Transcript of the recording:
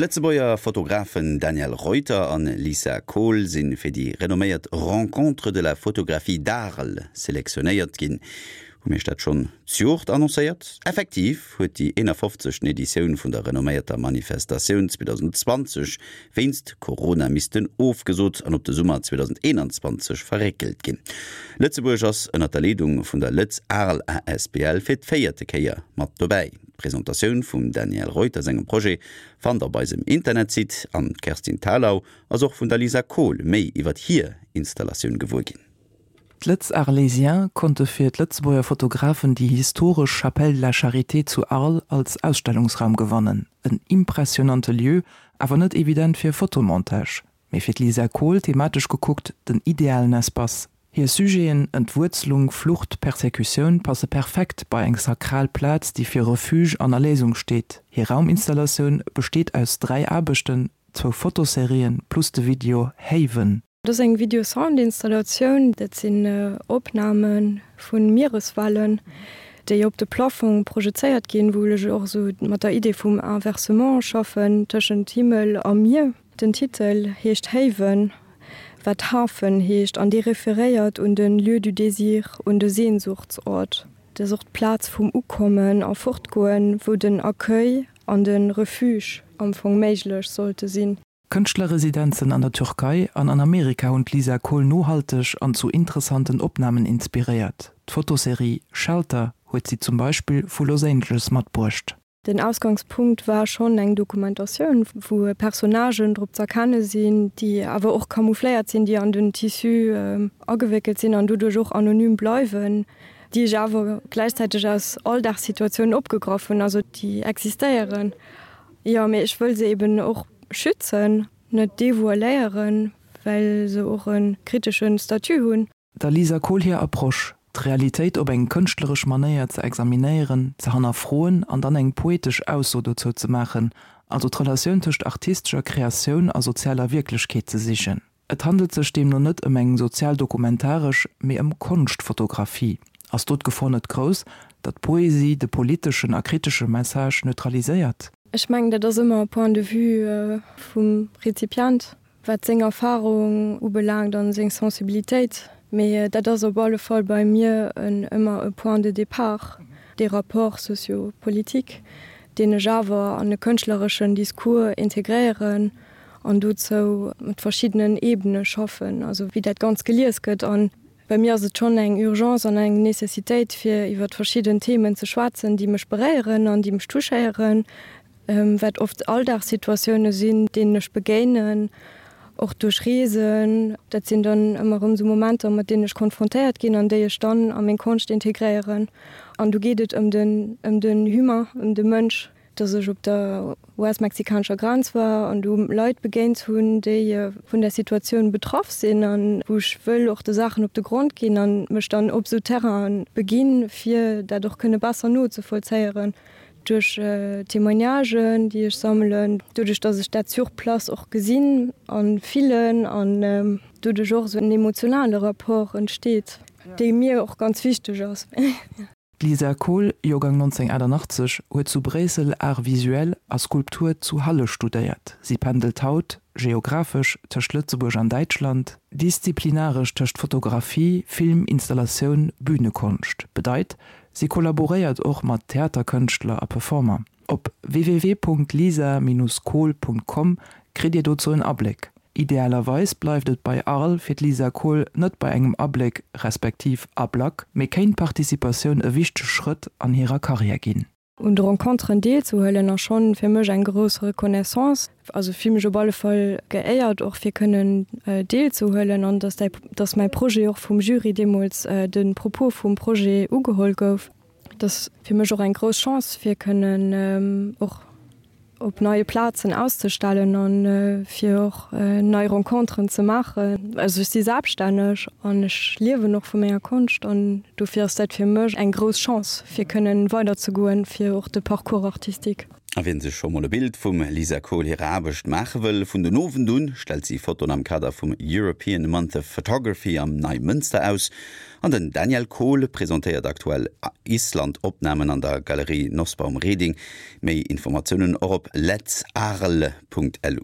D'Lëtzebuerger Fotografen Daniel Reuter an Lisa Kohl si fir déi renomméiert Rencontres de la photographie d'Arles selektionéiert ginn. Hu mir iech dat schonn d'Joert annoncéiert? Effektiv huet déi 51. Editioun vun der renomméierter Manifestatioun 2020 wéinst Corona missten ofgesot an op de Summer 2021 verréckelt ginn. Lëtzebuerg ass ënnert der Leedung vun der Lëtz Arles asbl fir d'véierte Kéier mat dobäi. D'Presentatioun vum Daniel Reuter sengem Projet fannt der op eisem Internetsite an d'Kerstin Thalau ass och vun der Lisa Kohl méi iwwert hir Installatioun gewuer ginn. D'Lëtz Arlésiens konnte fir d'Lëtzebuerger Fotografen déi historesch Chapelle de la Charité zu Arles als Ausstellungsraum gewannen. En impressionante Lieu, awer net evident fir e Fotomontage, mee fir d'Lisa Kohl thematesch gekuckt den idealen Espace. Hir Sujeten, Entwuerzelung, Flucht, Persecutioun, passe perfekt bei eng sakral Plaz, déi fir Refuge an Erléisung steet. Hir Rauminstallatioun besteet aus 3 Aarbechten, zwou Fotoserien plus de Video Haven. Dat ass eng Video-Sound-Installatioun. Dat sinn Opname vu Miereswellen, déi op de Plafong projezéiert ginn, wou ech och esou mat der Idee vum Inversement schaffen tëschent Himmel a Mier. Den Titel heescht Haven, wat Hafen heescht, an dee referéiert un de Lieu du désir, un de Sehnsuchtsort. Dat ass och d'Plaz vum Ukommen a Fortgoen, wou den Accueil an de Refuge am Fong méiglech sollte sinn. Kënschtlerresidenzen an der Türkei an an Amerika hunn d'Lisa Kohl nohalteg an zu interessanten Opnamen inspiréiert. D'Fotoserie Shelter huet si zum Beispill vu Los Angeles matbruecht. Den Ausgangspunkt war schonn eng Dokumentatioun, wou Personnagen drop z'erkenne sinn, déi awer och camoufléiert sinn, déi an den Tissu agewéckelt sinn an doduerch och anonym bleiwen, déi ech awer gläichzäiteg aus Alldagssituatiounen opgegraff hunn, also déi existéieren. Jo, mee ech wëll se eben och schützen, net devoiléieren, well se och e kritesche Statut hunn. Der Lisa Kohl hir Approche, d'Realitéit op eng kënschtleresch Manéier ze examinéieren, ze hannerfroen an dann eng poetesch Ausso dozou ze maachen, also d'Relatioun tëscht artistescher Kreatioun a sozialer Wierklechkeet ze sichen. Et handelt sech deemno net ëm eng sozialdokumentaresch, mee ëm Konschtfotografie. Ass do d'Gefor net grouss, datt d'Poesie de politeschen a kritesche Message neutraliséiert? Ech mengen, dat ass ëmmer e Point de vue vum Rezipient, wat seng Erfarung ubelaangt a seng Sensibilitéit. Mee dat ass op alle Fall bei mir ëmmer e Point de départ, dee Rapport socio-politique, deen ech awer an e kënschtlereschen Discours integréieren an dozou mat verschiddenen Ebene schaffen, also wéi dat Ganzt gelies gëtt. A bei mir ass et schonn eng Urgence an eng Nécessitéit, fir iwwer verschidden Themen ze schwätzen, déi mech beréieren an déi mech touchéieren, wat oft Alldagssituatioune sinn, deenen ech begéinen, och duerch Reesen. Dat sinn dann ëmmer erëm esou Momenter, mat deenen ech konfrontéiert ginn an déi ech dann a meng Konscht integréieren. An do geet et ëm den, ëm den Humain, ëm de Mënsch. dass ech op der US-mexikanescher Grenz war an do Leit begéint hunn, déi vun där Situatioun betraff sinn an wou ech wëll och de Saachen op de Grond ginn an mech dann op esou Terrainen beginn, fir dat och kënne besser nozevollzéieren duerch Témoignagen, déi ech sammelen, doduerch dass ech dat sur place och gesinn a fillen an doduerch och esou en emotionale Rapport entsteet, dee mir och ganz wichteg ass. D'Lisa Kohl, Joergang 1988, huet zu Bréissel Arts visuels a Skulptur zu Halle studéiert. Si pendelt haut, geographesch, tëscht Lëtzebuerg an Däitschland, disziplinaresch tëscht Fotografie, Film, Installatioun, Bühnekonscht. Bedeit, si kollaboréiert och mat Theaterkënschtler a Performer. Op www.lisa-kohl.com kritt Dir dozou en Abléck. Idealerweis bleift et bei Arles fir d'Lisa Kohl net bei engem Abléck respektiv Ablack, mee kéint d'Participatioun e wichtege Schrëtt an hirer Karriär ginn. Un de Renconteren deelzehuelen ass schonn fir mech eng grouss Reconnaissance. Also fille mech op alle Fall geéiert och fir kënnen deelzehuelen an dass däi, dass mäi Projet och vum Jury deemools de Propos vum Projet ugeholl gouf. Et ass fir mech och eng grouss Chance fir kënnen och op neie Plazen auszestellen an fir och nei Renconteren ze maachen. Also ech si selbststänneg an ech liewen och vu menger Konscht an dofir ass dat fir mech eng grouss Chance fir kënnen weiderzegoen, fir och de Parcours artistique. A wien sech scho mol e Bild vum Lisa Kohl hirer Aarbecht maache wëll, vun den Owend un stellt si Fotoen am Kader vum European Month of Photography am Neimënster aus. An den Daniel Kohl presentéiert aktuell Island-Opnamen an der Galerie Nosbaum-Reding. Méi Informatiounen och op letsarles.lu.